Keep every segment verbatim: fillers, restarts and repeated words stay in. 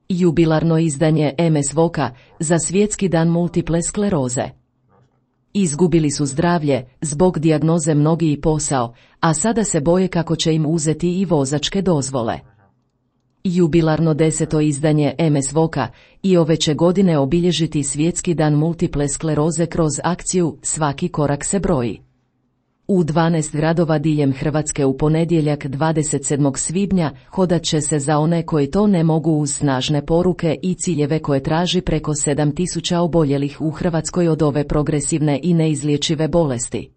Jubilarno izdanje em es Voka za svjetski dan multiple skleroze. Izgubili su zdravlje, zbog dijagnoze mnogi i posao, a sada se boje kako će im uzeti i vozačke dozvole. Jubilarno deseto izdanje em es Voka i ove će godine obilježiti svjetski dan multiple skleroze kroz akciju Svaki korak se broji. U dvanaest gradova diljem Hrvatske u ponedjeljak dvadeset sedmog svibnja hodat će se za one koji to ne mogu uz snažne poruke i ciljeve koje traži preko sedam tisuća oboljelih u Hrvatskoj od ove progresivne i neizlječive bolesti.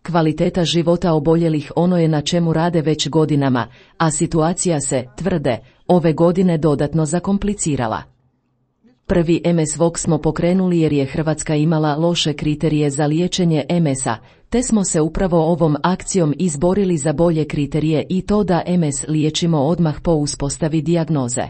Kvaliteta života oboljelih ono je na čemu rade već godinama, a situacija se, tvrde, ove godine dodatno zakomplicirala. Prvi em es Vok smo pokrenuli jer je Hrvatska imala loše kriterije za liječenje em es-a, te smo se upravo ovom akcijom izborili za bolje kriterije i to da em es liječimo odmah po uspostavi dijagnoze.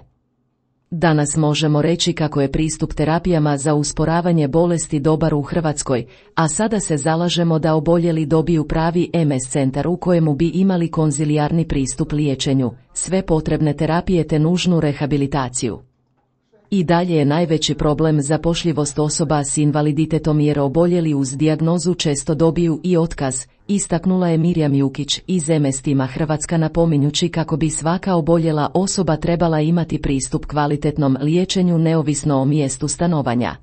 Danas možemo reći kako je pristup terapijama za usporavanje bolesti dobar u Hrvatskoj, a sada se zalažemo da oboljeli dobiju pravi em es centar u kojemu bi imali konzilijarni pristup liječenju, sve potrebne terapije te nužnu rehabilitaciju. I dalje je najveći problem zapošljivost osoba s invaliditetom jer oboljeli uz dijagnozu često dobiju i otkaz, istaknula je Mirjam Jukić iz em es tima Hrvatska napominjući kako bi svaka oboljela osoba trebala imati pristup kvalitetnom liječenju neovisno o mjestu stanovanja.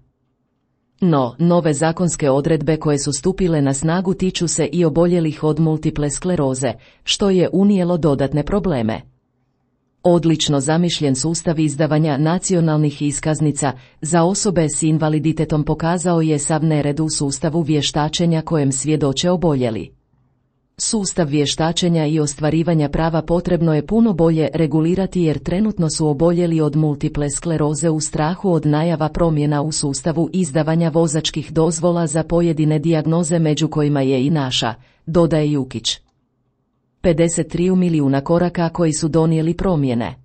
No, nove zakonske odredbe koje su stupile na snagu tiču se i oboljelih od multiple skleroze, što je unijelo dodatne probleme. Odlično zamišljen sustav izdavanja nacionalnih iskaznica za osobe s invaliditetom pokazao je sav nered u sustavu vještačenja kojem svjedoče oboljeli. Sustav vještačenja i ostvarivanja prava potrebno je puno bolje regulirati jer trenutno su oboljeli od multiple skleroze u strahu od najava promjena u sustavu izdavanja vozačkih dozvola za pojedine dijagnoze među kojima je i naša, dodaje Jukić. pedeset tri milijuna koraka koji su donijeli promjene.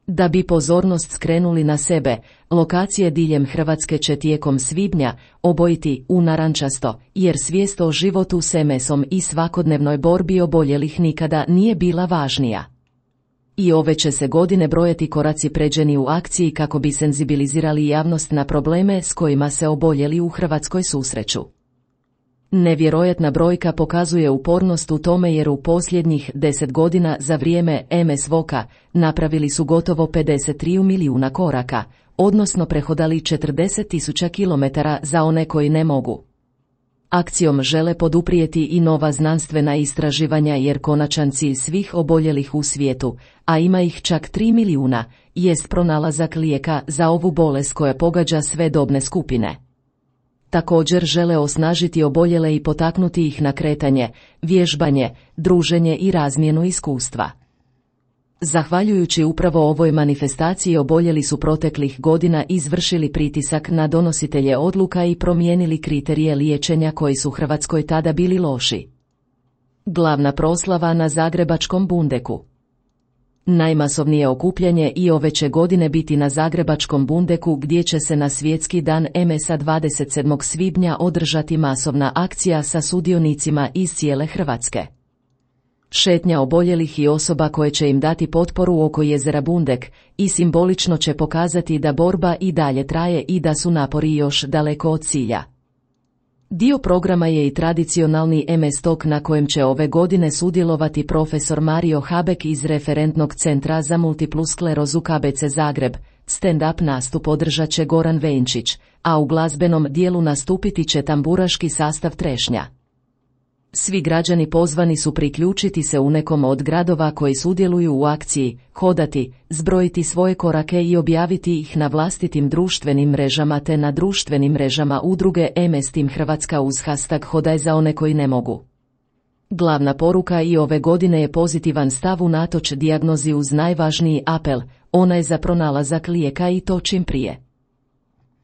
Da bi pozornost skrenuli na sebe, lokacije diljem Hrvatske će tijekom svibnja obojiti u narančasto, jer svijest o životu s em es-om i svakodnevnoj borbi oboljelih nikada nije bila važnija. I ove će se godine brojati koraci pređeni u akciji kako bi senzibilizirali javnost na probleme s kojima se oboljeli u Hrvatskoj susreću. Nevjerojatna brojka pokazuje upornost u tome jer u posljednjih deset godina za vrijeme em es Voka napravili su gotovo pedeset tri milijuna koraka, odnosno prehodali četrdeset tisuća kilometara za one koji ne mogu. Akcijom žele poduprijeti i nova znanstvena istraživanja jer konačan cilj svih oboljelih u svijetu, a ima ih čak tri milijuna, jest pronalazak lijeka za ovu bolest koja pogađa sve dobne skupine. Također žele osnažiti oboljele i potaknuti ih na kretanje, vježbanje, druženje i razmjenu iskustva. Zahvaljujući upravo ovoj manifestaciji oboljeli su proteklih godina izvršili pritisak na donositelje odluka i promijenili kriterije liječenja koji su Hrvatskoj tada bili loši. Glavna proslava na zagrebačkom Bundeku. Najmasovnije okupljanje i ove će godine biti na zagrebačkom Bundeku gdje će se na svjetski dan em es-a dvadeset sedmog svibnja održati masovna akcija sa sudionicima iz cijele Hrvatske. Šetnja oboljelih i osoba koje će im dati potporu oko jezera Bundek i simbolično će pokazati da borba i dalje traje i da su napori još daleko od cilja. Dio programa je i tradicionalni em es Talk na kojem će ove godine sudjelovati profesor Mario Habek iz Referentnog centra za multiplu sklerozu ka be ce Zagreb. Stand-up nastup održat će Goran Venčić, a u glazbenom dijelu nastupiti će tamburaški sastav Trešnja. Svi građani pozvani su priključiti se u nekom od gradova koji sudjeluju u akciji, hodati, zbrojiti svoje korake i objaviti ih na vlastitim društvenim mrežama te na društvenim mrežama udruge em es Tim Hrvatska uz hashtag Hodaj za one koji ne mogu. Glavna poruka i ove godine je pozitivan stav unatoč dijagnozi uz najvažniji apel, onaj za pronalazak lijeka i to čim prije.